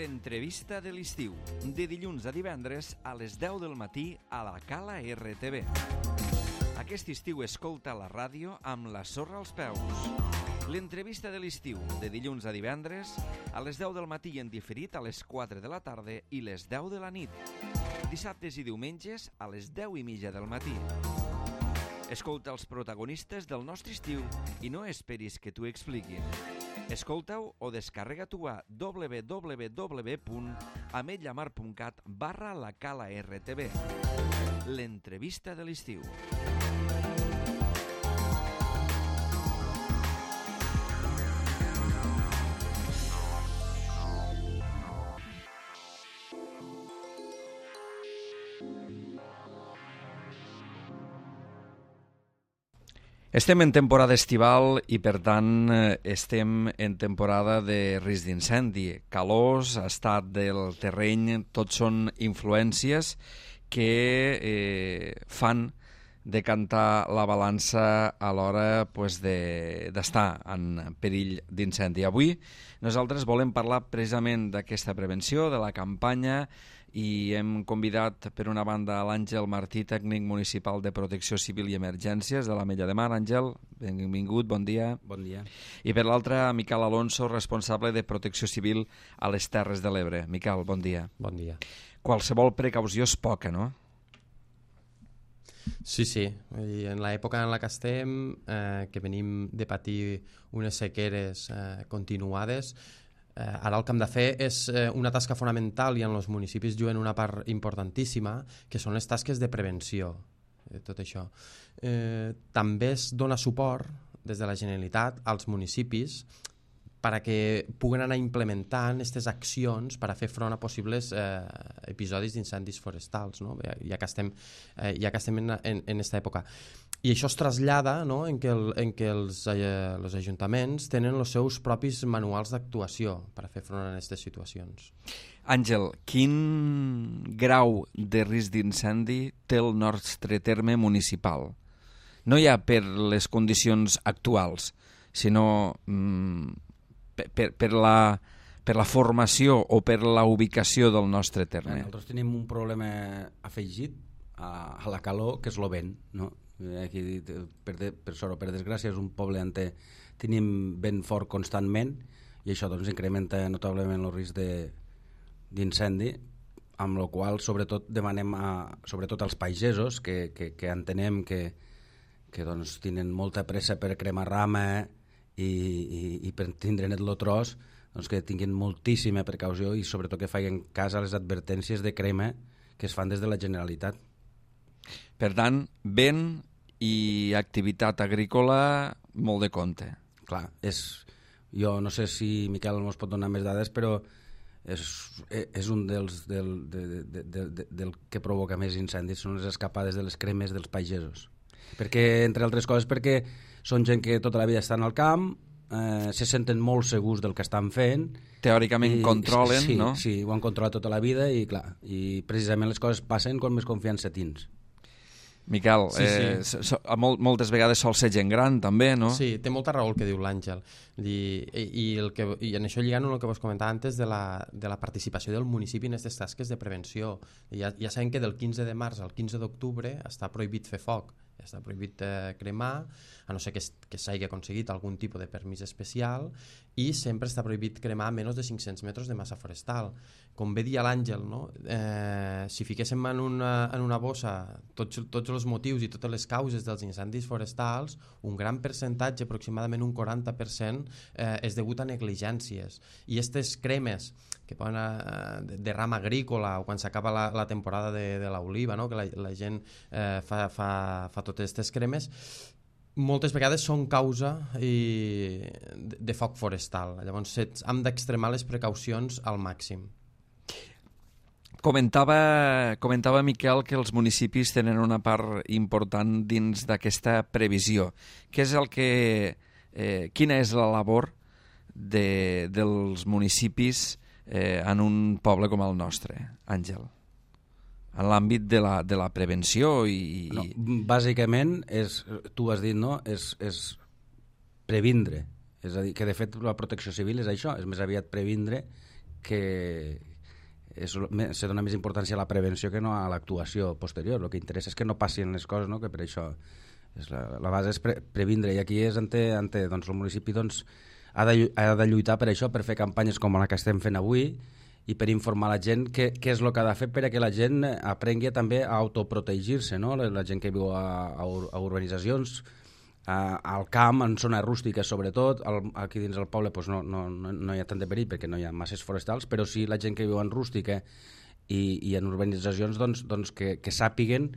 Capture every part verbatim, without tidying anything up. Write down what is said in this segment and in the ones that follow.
L'entrevista de l'estiu, de dilluns a divendres a les deu del matí a la Cala R T V. Aquest estiu escolta la ràdio amb la sorra als peus. L'entrevista de l'estiu, de dilluns a divendres a les deu del matí i en diferit a les quatre de la tarda i les deu de la nit. Dissabtes i diumenges a les deu i mitja del matí. Escolta els protagonistes del nostre estiu i no esperis que t'ho expliquin. Escolta-ho o descarrega-t'ho a w w w punt ametlla mar punt cat barra la Cala R T V. L'entrevista de l'estiu. Estem en temporada estival i, per tant, estem en temporada de risc d'incendi. Calors, estat del terreny, tot són influències que eh, fan decantar la balança a l'hora pues, de, d'estar en perill d'incendi. Avui nosaltres volem parlar precisament d'aquesta prevenció, de la campanya, i hem convidat per una banda a l'Àngel Martí, tècnic municipal de Protecció Civil i Emergències de l'Ametlla de Mar. Àngel, benvingut, bon dia. Bon dia. I per l'altra, Miquel Alonso, responsable de Protecció Civil a les Terres de l'Ebre. Miquel, bon dia. Bon dia. Qualsevol precaució és poca, no? Sí, sí. I en l'època en la que estem, eh, que venim de patir unes sequeres eh, continuades, Eh, ara el que hem de fer és eh, una tasca fonamental i en els municipis juguen una part importantíssima, que són les tasques de prevenció de tot això. Eh, també es dona suport des de la Generalitat als municipis perquè puguen anar implementant aquestes accions per a fer front a possibles eh, episodis d'incendis forestals, no? ja que estem, eh, ja que estem en, en, en aquesta època. I això es trasllada, no? en què, el, en què els, eh, els ajuntaments tenen els seus propis manuals d'actuació per a fer front a aquestes situacions. Àngel, quin grau de risc d'incendi té el nostre terme municipal? No ja per les condicions actuals, sinó mm, per, per, per, la, per la formació o per la ubicació del nostre terme. Nosaltres tenim un problema afegit a, a la calor, que és el vent, no? Aquí, per, de, per sort o per desgràcia, és un poble on tenim vent fort constantment i això doncs incrementa notablement el risc de, d'incendi, amb la qual sobretot demanem a, sobretot als pagesos que, que, que entenem que, que doncs, tenen molta pressa per cremar rama i, i, i per tindre net el tros, doncs que tinguin moltíssima precaució i sobretot que facin cas a les advertències de crema que es fan des de la Generalitat. Per tant, vent i activitat agrícola molt de compte. Clar, és, jo no sé si Miquel ens pot donar més dades, però és, és un dels del, de, de, de, de, del que provoca més incendis, són les escapades de les cremes dels pagesos. Perquè, entre altres coses, perquè són gent que tota la vida estan al camp, eh, se senten molt segurs del que estan fent. Teòricament i, controlen, sí, no? Sí, ho han controlat tota la vida i, clar, i precisament les coses passen quan més confiança tens. Miquel, sí, eh, sí. So, molt, moltes vegades sol ser gent gran també, no? Sí, té molta raó el que diu l'Àngel i, i, el que, i en això lligant el que vos comentava antes de la, de la participació del municipi en aquestes tasques de prevenció. Ja, ja sabem que del quinze de març al quinze d'octubre està prohibit fer foc, està prohibit eh, cremar, a no ser que, que s'hagi aconseguit algun tipus de permís especial, i sempre està prohibit cremar a menys de cinc-cents metres de massa forestal. Com bé dia l'Àngel, no? eh, si fiquéssim en una, en una bossa tots, tots els motius i totes les causes dels incendis forestals, un gran percentatge, aproximadament un quaranta per cent, eh, és degut a negligències. I aquestes cremes que poden eh, de, de rama agrícola o quan s'acaba la, la temporada de, de l'oliva, no? que la, la gent eh, fa, fa, fa totes aquestes cremes, moltes vegades són causa i, de, de foc forestal. Llavors hem d'extremar les precaucions al màxim. Comentava, comentava Miquel que els municipis tenen una part important dins d'aquesta previsió. Què és el que, eh, quina és la labor de, dels municipis eh, en un poble com el nostre, Àngel? En l'àmbit de la, de la prevenció i... No, bàsicament, és, tu has dit, no? És, és previndre. És a dir, que de fet la protecció civil és això, és més aviat previndre que és, se dona més importància a la prevenció que no a l'actuació posterior. El que interessa és que no passin les coses, no? Que per això és la, la base és pre, previndre, i aquí és ante, ante doncs, el municipi doncs, ha, de, ha de lluitar per això, per fer campanyes com la que estem fent avui i per informar la gent què, què és el que ha de fer perquè la gent aprengui també a autoprotegir-se, no? La, la gent que viu a, a, a urbanitzacions, a, al camp, en zones rústiques sobretot, al, aquí dins del poble doncs no, no, no, no hi ha tant de perill perquè no hi ha masses forestals, però sí la gent que viu en rústica i, i en urbanitzacions doncs, doncs que, que sàpiguen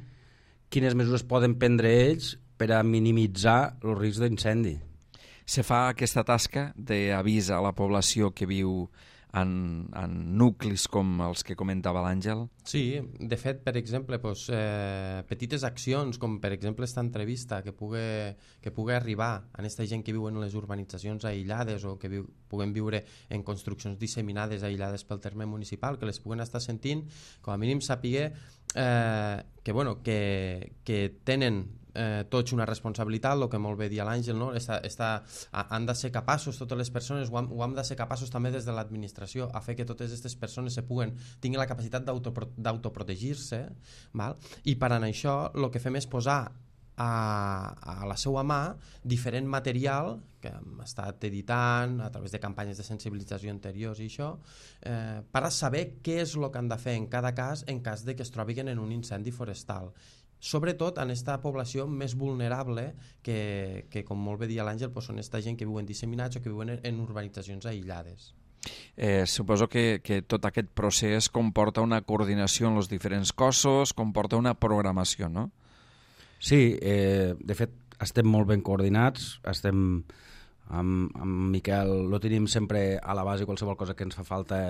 quines mesures poden prendre ells per a minimitzar el risc d'incendi. Se fa aquesta tasca d'avís a la població que viu en, en nuclis com els que comentava l'Àngel? Sí, de fet, per exemple, doncs, eh, petites accions, com per exemple esta entrevista que pugui, que pugui arribar a aquesta gent que viu en les urbanitzacions aïllades o que viu, puguen viure en construccions disseminades aïllades pel terme municipal, que les puguen estar sentint, com a mínim saber eh, que, bueno, que, que tenen Eh, tots una responsabilitat, el que molt bé dia l'Àngel, no? Està, està, han de ser capaços, totes les persones, ho han, ho han de ser capaços també des de l'administració a fer que totes aquestes persones se puguen, tinguin la capacitat d'autoprotegir-se, val? I per a això el que fem és posar a, a la seva mà diferent material que hem estat editant a través de campanyes de sensibilització anteriors i això, eh, per a saber què és el que han de fer en cada cas en cas de que es trobin en un incendi forestal, sobretot en aquesta població més vulnerable que, que com molt bé dia l'Àngel, doncs són aquesta gent que viuen disseminats o que viuen en, en urbanitzacions aïllades. Eh, suposo que, que tot aquest procés comporta una coordinació en els diferents cossos, comporta una programació, no? Sí, eh, de fet estem molt ben coordinats, estem amb, amb Miquel, lo tenim sempre a la base, qualsevol cosa que ens fa falta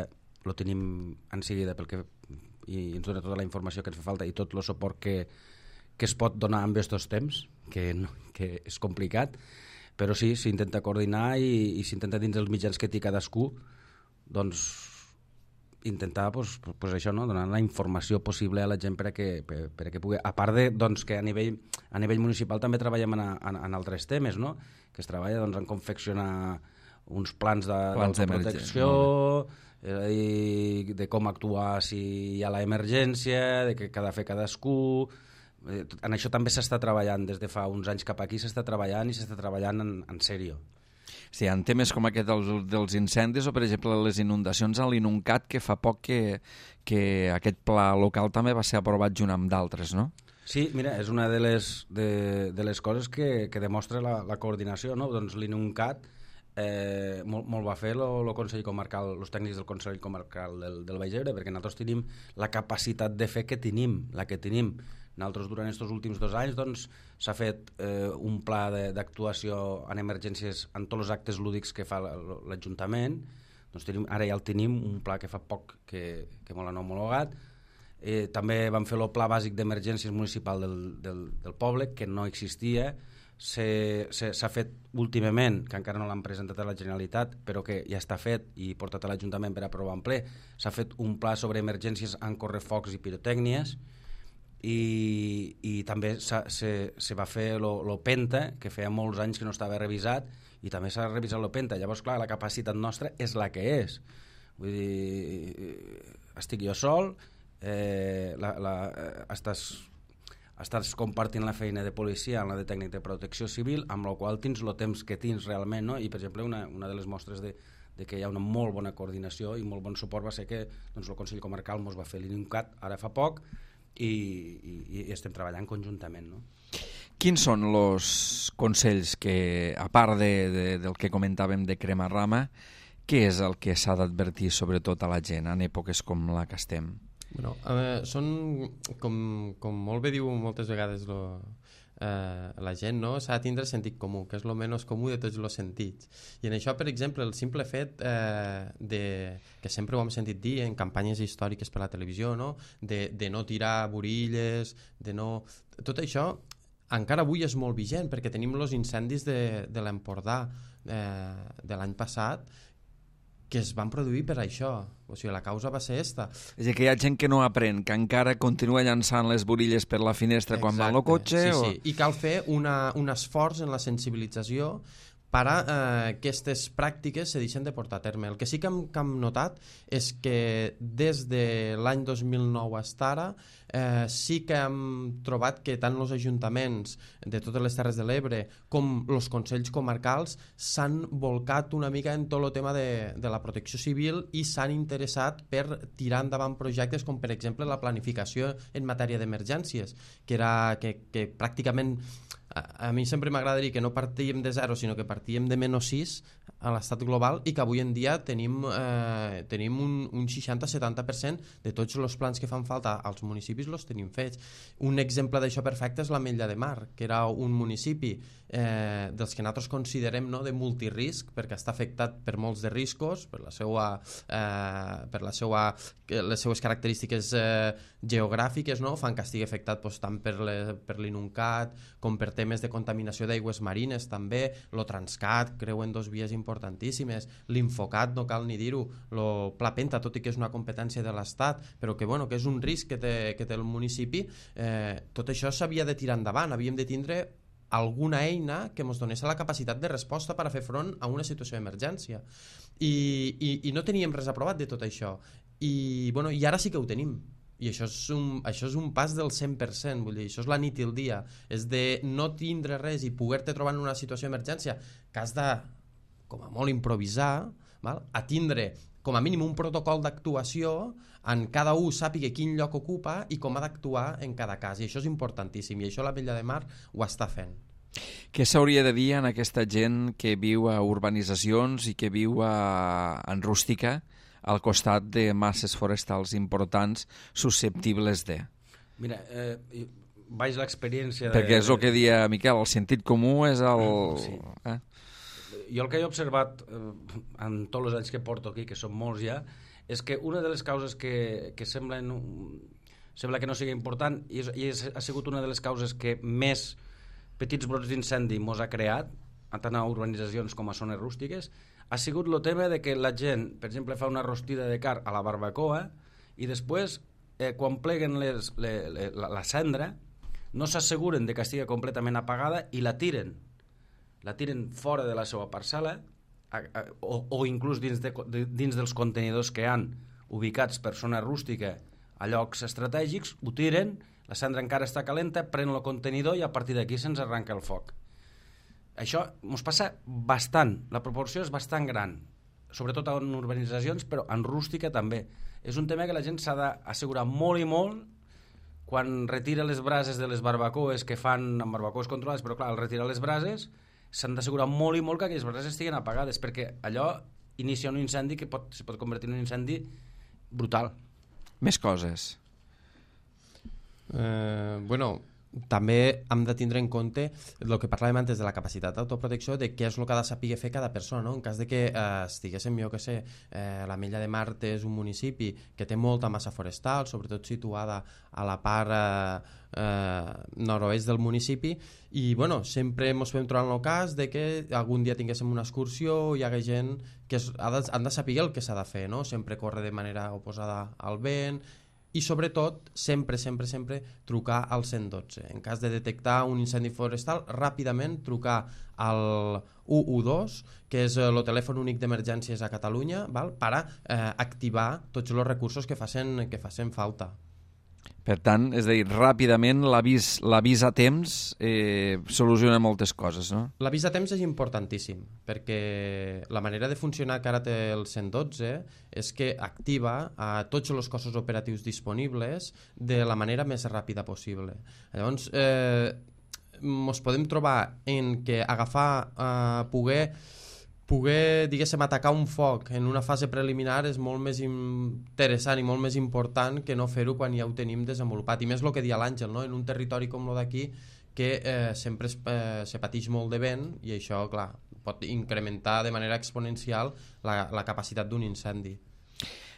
lo tenim en seguida pel que, i ens dona tota la informació que ens fa falta i tot el suport que que es pot donar en aquests temps, que, no, que és complicat, però sí, s'intenta coordinar i, i s'intenta dins els mitjans que té cadascú, doncs intentar pues, pues això, no? Donar la informació possible a la gent per a que, per, per a que pugui, a part de doncs, que a nivell, a nivell municipal també treballem en, en, en altres temes, no? Que es treballa doncs, en confeccionar uns plans de, plans de protecció, és a dir, de com actuar si hi ha l'emergència, de què ha de fer cadascú. En això també s'està treballant des de fa uns anys cap aquí, s'està treballant i s'està treballant en, en sèrio. Sí, en temes com aquest dels, dels incendis o per exemple les inundacions a l'Inuncat, que fa poc que, que aquest pla local també va ser aprovat junt amb d'altres, no? Sí, mira, és una de les, de, de les coses que, que demostra la, la coordinació, no? Doncs l'Inuncat eh, molt, molt va fer el Consell Comarcal, els tècnics del Consell Comarcal del, del Baix Ebre, perquè nosaltres tenim la capacitat de fer que tenim, la que tenim. Nosaltres durant aquests últims dos anys doncs, s'ha fet eh, un pla d'actuació en emergències en tots els actes lúdics que fa l'Ajuntament. Doncs tenim, ara ja el tenim, un pla que fa poc que, que molt han homologat. Eh, també vam fer el pla bàsic d'emergències municipal del, del, del poble, que no existia. S'ha fet últimament, que encara no l'han presentat a la Generalitat, però que ja està fet i portat a l'Ajuntament per aprovar en ple. S'ha fet un pla sobre emergències en correfocs i pirotècnies. I, i també se, se va fer el Penta, que feia molts anys que no estava revisat, i també s'ha revisat el Penta. Llavors, clar, la capacitat nostra és la que és. Vull dir, estic jo sol, eh, la, la, estàs, estàs compartint la feina de policia amb la de tècnic de protecció civil, amb la qual tens el temps que tens realment, no? I, per exemple, una, una de les mostres de, de que hi ha una molt bona coordinació i molt bon suport va ser que doncs, el Consell Comarcal ens va fer l'Inuncat ara fa poc, I, i, i estem treballant conjuntament, no? Quins són els consells que, a part de, de, del que comentàvem de cremar rama, què és el que s'ha d'advertir sobretot a la gent en èpoques com la que estem? Bueno, eh, són, com, com molt bé diu moltes vegades lo, eh, la gent, no? S'ha de tindre sentit comú, que és el menys comú de tots els sentits. I en això, per exemple, el simple fet eh, de, que sempre ho hem sentit dir en campanyes històriques per la televisió, no? De, de no tirar burilles, de no... Tot això encara avui és molt vigent, perquè tenim els incendis de, de l'Empordà eh, de l'any passat, que es van produir per això. O sigui, la causa va ser esta. És a dir, que hi ha gent que no aprèn, que encara continua llançant les burilles per la finestra. Exacte. Quan va al cotxe. Sí, o... sí. I cal fer una, un esforç en la sensibilització para eh, aquestes pràctiques se deixen de portar a terme. El que sí que hem, que hem notat és que des de l'any dos mil nou fins ara eh, sí que hem trobat que tant els ajuntaments de totes les Terres de l'Ebre com els consells comarcals s'han volcat una mica en tot el tema de, de la protecció civil i s'han interessat per tirar endavant projectes com per exemple la planificació en matèria d'emergències, que, era, que, que pràcticament a, a mi sempre m'agrada dir que no partíem de zero sinó que partíem de menys sis a l'estat global i que avui en dia tenim, eh, tenim un, un seixanta a setanta per cent de tots els plans que fan falta als municipis els tenim fets. Un exemple d'això perfecte és l'Ametlla de Mar, que era un municipi eh, dels que nosaltres considerem no, de multirisc, perquè està afectat per molts de riscos, per la seva, eh, per la seva, les seues característiques eh, geogràfiques, no? Fan que estigui afectat doncs, tant per, le, per l'Inuncat com per temes de contaminació d'aigües marines també, lo Transcat, creuen dos vies importantíssimes, l'Infocat, no cal ni dir-ho, lo Pla Penta, tot i que és una competència de l'Estat, però que, bueno, que és un risc que té, que té el municipi, eh, tot això s'havia de tirar endavant, havíem de tindre alguna eina que ens donés la capacitat de resposta per a fer front a una situació d'emergència. I, i, i no teníem res aprovat de tot això. I, bueno, i ara sí que ho tenim. I això és, un, això és un pas del cent per cent, vull dir, això és la nit i el dia, és de no tindre res i poder-te trobar en una situació d'emergència que has de, com a molt, improvisar, val? A tindre com a mínim un protocol d'actuació en cada un sàpiga quin lloc ocupa i com ha d'actuar en cada cas, i això és importantíssim, i això l'Ametlla de Mar ho està fent. Què s'hauria de dir en aquesta gent que viu a urbanitzacions i que viu a, en rústica, al costat de masses forestals importants susceptibles de? Mira, eh, vaig l'experiència... De... Perquè és el que deia Miquel, el sentit comú és el... Sí. Eh? Jo el que he observat eh, en tots els anys que porto aquí, que són molts ja, és que una de les causes que, que semblen, sembla que no sigui important i, és, i és, ha sigut una de les causes que més petits brots d'incendi mos ha creat, tant a urbanitzacions com a zones rústiques, ha sigut el tema de que la gent, per exemple, fa una rostida de carn a la barbacoa i després, eh, quan pleguen les, les, les, la, la cendra, no s'asseguren de que estigui completament apagada i la tiren. La tiren fora de la seva parcel·la a, a, o, o inclús dins, de, de, dins dels contenidors que han ubicats per zona rústica a llocs estratègics, ho tiren, la cendra encara està calenta, pren el contenidor i a partir d'aquí se'ns arranca el foc. Això ens passa bastant, la proporció és bastant gran, sobretot en urbanitzacions, però en rústica també. És un tema que la gent s'ha d'assegurar molt i molt quan retira les brases de les barbacoes que fan amb barbacoes controlades, però clar, al retirar les brases s'han d'assegurar molt i molt que aquelles brases estiguen apagades, perquè allò inicia un incendi que pot, se pot convertir en un incendi brutal. Més coses. Eh, bueno... També hem de tindre en compte el que parlàvem antes de la capacitat d'autoprotecció, de què és el que ha de saber fer cada persona, no? En cas de que eh, estiguéssim, jo que sé, eh, l'Ametlla de Mar és un municipi que té molta massa forestal, sobretot situada a la part eh, eh, nord-oest del municipi, i bueno, sempre ens podem trobar en el cas de que algun dia tinguéssim una excursió i hi hagués gent que es, ha de, han de saber el que s'ha de fer, no? Sempre córrer de manera oposada al vent, i sobretot sempre, sempre, sempre trucar al cent dotze. En cas de detectar un incendi forestal, ràpidament trucar al u u dos, que és el telèfon únic d'emergències a Catalunya, val? Per a eh, activar tots els recursos que facin, que facin falta. Per tant, és a dir, ràpidament l'avís l'avís a temps eh, soluciona moltes coses, no? L'avís a temps és importantíssim, perquè la manera de funcionar que ara té el cent dotze és que activa a tots els cossos operatius disponibles de la manera més ràpida possible. Llavors, eh, ens podem trobar en que agafar, eh, poder... poder, diguéssim, atacar un foc en una fase preliminar és molt més interessant i molt més important que no fer-ho quan ja ho tenim desenvolupat. I més el que deia l'Àngel, no? En un territori com el d'aquí, que eh, sempre es, eh, se pateix molt de vent i això, clar, pot incrementar de manera exponencial la, la capacitat d'un incendi.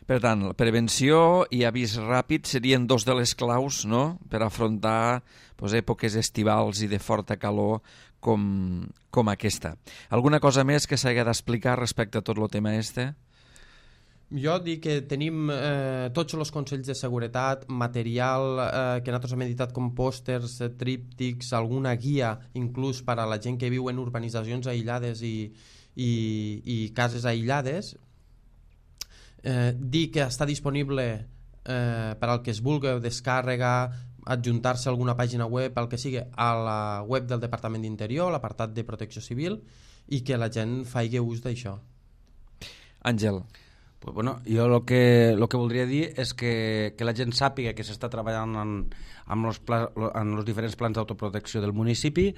Per tant, prevenció i avís ràpid serien dos de les claus, no?, per afrontar doncs, èpoques estivals i de forta calor com, com aquesta. Alguna cosa més que s'hagi d'explicar respecte a tot el tema este? Jo dic que tenim eh, tots els consells de seguretat, material eh, que nosaltres hem editat com pòsters, eh, tríptics, alguna guia inclús per a la gent que viu en urbanitzacions aïllades i, i, i cases aïllades. Eh, dir que està disponible eh, per al que es vulgui descàrrega, adjuntar-se a alguna pàgina web, el que sigui, a la web del Departament d'Interior, l'apartat de Protecció Civil, i que la gent faci ús d'això. Àngel. Pues bueno, jo el que, lo que voldria dir és que, que la gent sàpiga que s'està treballant en, en, los pla, en els diferents plans d'autoprotecció del municipi,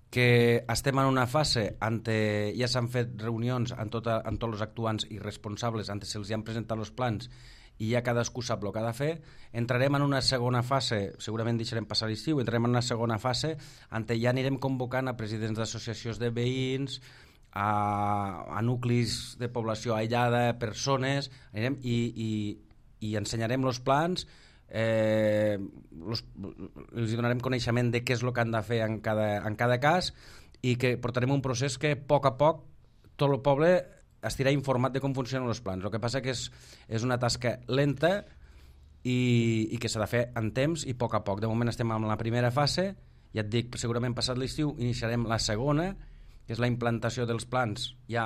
que estem en una fase on ja s'han fet reunions amb, tota, amb tots els actuants i responsables, on se'ls han presentat els plans i ja cadascú sap el que ha de fer. Entrarem en una segona fase, segurament deixarem passar l'estiu, entrarem en una segona fase on ja anirem convocant a presidents d'associacions de veïns, A, a nuclis de població aïllada, persones, anirem i, i, i ensenyarem els plans, eh, los, els donarem coneixement de què és el que han de fer en cada, en cada cas, i que portarem un procés que a poc a poc tot el poble estarà informat de com funcionen els plans. El que passa que és, és una tasca lenta i, i que s'ha de fer en temps i a poc a poc. De moment estem en la primera fase, ja et dic, segurament passat l'estiu iniciarem la segona, que és la implantació dels plans, ja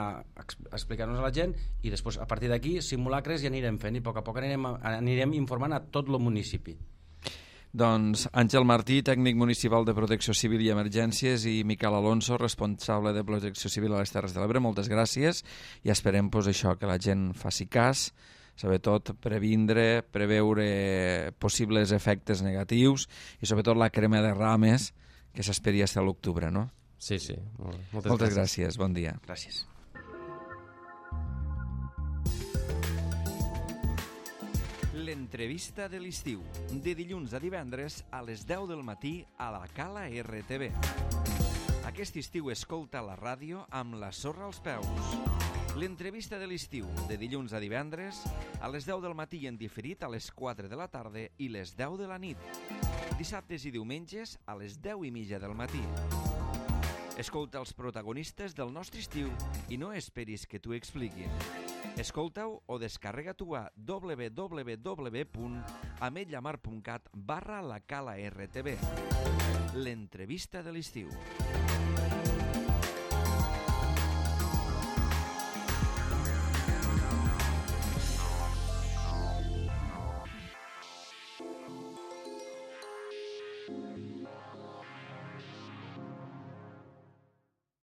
explicar-nos a la gent, i després a partir d'aquí simulacres ja anirem fent i a poc a poc anirem, anirem informant a tot el municipi. Doncs Àngel Martí, tècnic municipal de Protecció Civil i Emergències, i Miquel Alonso, responsable de Protecció Civil a les Terres de l'Ebre, moltes gràcies, i esperem pues, això, que la gent faci cas, sobretot previndre, preveure possibles efectes negatius i sobretot la crema de rames que s'esperi fins a l'octubre, no? Sí, sí. Moltes, Moltes gràcies. gràcies. Bon dia. Gràcies. L'entrevista de l'estiu, de dilluns a divendres a les deu del matí a la Cala R T V. Aquest estiu escolta la ràdio amb la sorra als peus. L'entrevista de l'estiu, de dilluns a divendres a les deu del matí i en diferit a les quatre de la tarda i les deu de la nit. Dissabtes i diumenges a les deu i mitja del matí. Escolta els protagonistes del nostre estiu i no esperis que t'ho expliquin. Escolta-ho o descarrega-t'ho a w w w punt ametlla mar punt cat barra la Cala R T V. L'entrevista de l'estiu.